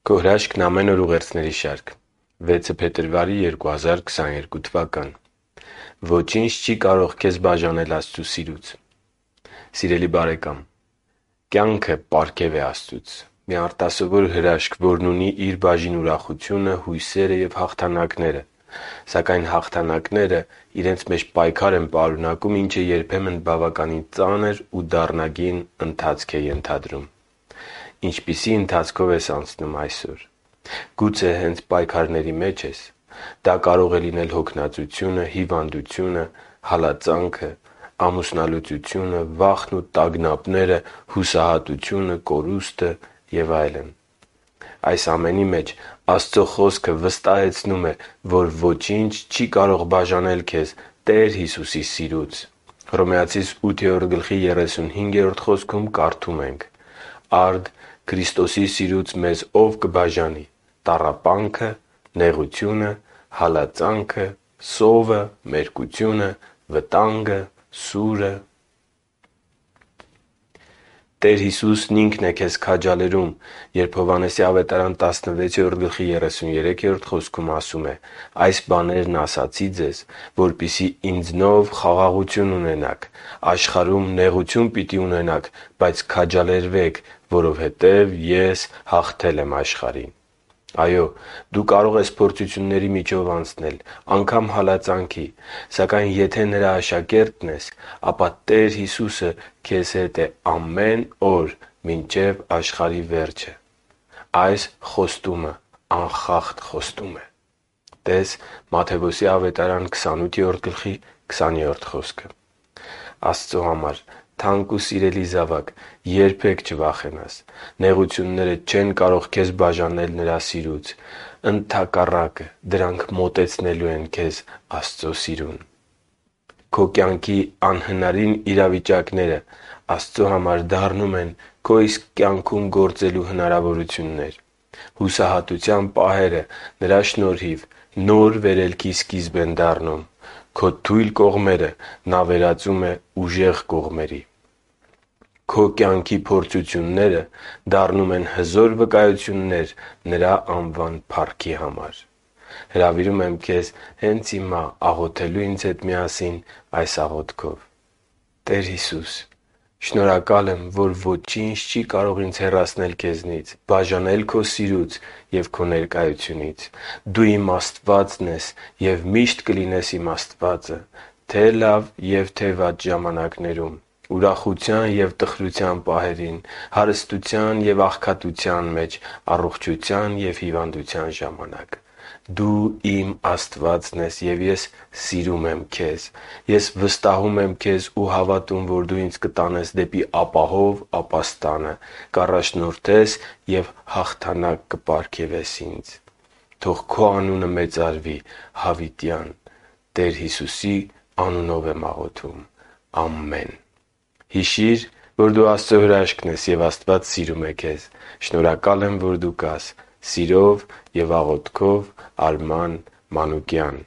Քո հրաշքն ամեն օր ուղերձների շարք։ 6 փետրվարի 2022 թվական։ Ոչինչ չի կարող քեզ բաժանել Աստծո սիրուց։ Սիրելի բարեկամ, կյանքը պարգև է Աստծուց։ Մի արտասովոր հրաշք, որն ունի իր բաժին ուրախությունը, հույսերը և հաղթանակները։ Սակայն հաղթանակները իրենց մեջ պայքար են պարունակում, ինչը երբեմն բավականին ծանր ու դառնագին ընթացք է ենթադրում։ Ինչպիսի ընթացքով ես անցնում այսօր։ Գուցե հենց պայքարների մեջ ես։ Դա կարող է լինել հոգնածությունը, հիվանդությունը, հալածանքը, ամուսնալուծությունը, վախն ու տագնապները, հուսահատությունը, կորուստը և այլն։ Այս ամենի մեջ Աստծո Խոսքը վստահեցնում է, որ ոչինչ չի կարող բաժանել քեզ Տեր Հիսուսի սիրուց։ Հռոմեացիս 8:35 խոսքում կարդում ենք. «Արդ Քրիստոսի սիրուց մեզ ով կբաժանի. տառապանքը, նեղությունը, հալածանքը, սովը, մերկությունը, վտանգը, սուրը»։ Տեր Հիսուսն Ինքն է քեզ քաջալերում, երբ Հովհաննես 16:33 խոսքում ասում է. «Այս բաներն ասացի ձեզ, որպեսզի ինձնով խաղաղություն ունենաք. աշխարհում նեղություն պիտի ունենաք, բայց քաջալերվեք, որովհետև ես հաղթել եմ աշխարհին»։ Այո, դու կարող ես փորձությունների միջով անցնել, անգամ հալածանքի, սակայն եթե Նրա աշակերտն ես, ապա Տեր Հիսուսը քեզ հետ է ամեն օր մինչև աշխարհի վերջը։ Այս խոստումը անխախտ խոստում է։ (Տե՛ս Մատթեոս 28:20 խոսքը)։ Աստծո համար թանկ ու սիրելի զավակ, երբեք չվախենաս։ Նեղությունները չեն կարող քեզ բաժանել Նրա սիրուց։ Ընդհակառակը, դրանք մոտեցնելու են քեզ Աստծո սիրուն։ Քո կյանքի անհնարին իրավիճակները Աստծո համար դառնում են քո իսկ կյանքում գործելու հնարավորություններ։ Հուսահատության պահերը Նրա շնորհիվ նոր վերելքի սկիզբ են դառնում։ Քո թույլ կողմերը Նա վերածում է ուժեղ կողմերի։ Քո կյանքի փորձությունները դառնում են հզոր վկայություններ Նրա անվան փառքի համար։ Հրավիրում եմ քեզ հենց հիմա աղոթելու ինձ հետ միասին այս աղոթքով. «Տեր Հիսուս, շնորհակալ եմ, որ ոչինչ չի կարող ինձ հեռացնել Քեզնից, բաժանել Քո սիրուց և Քո ներկայությունից։ Դու իմ Աստվածն ես և միշտ կլինես իմ Աստվածը թե՛ լավ և թե՛ վատ ժամանակներում, ուրախության և տխրության պահերին, հարստության և աղքատության մեջ, առողջության և հիվանդության ժամանակ։ Դու իմ Աստվածն ես, և ես սիրում եմ Քեզ։ Ես վստահում եմ Քեզ ու հավատում, որ Դու ինձ կտանես դեպի ապահով ապաստանը, կառաջնորդես և հաղթանակ կպարգևես ինձ։ Թող Քո անունը մեծարվի հավիտյան։ Տեր Հիսուսի անունով եմ աղոթում։ Ամեն»։ Հիշի՛ր, որ դու Աստծո հրաշքն ես, և Աստված սիրում է քեզ։ Շնորհակալ եմ, որ դու կար։ Սիրով և աղոթքով, Արման Մանուկյան։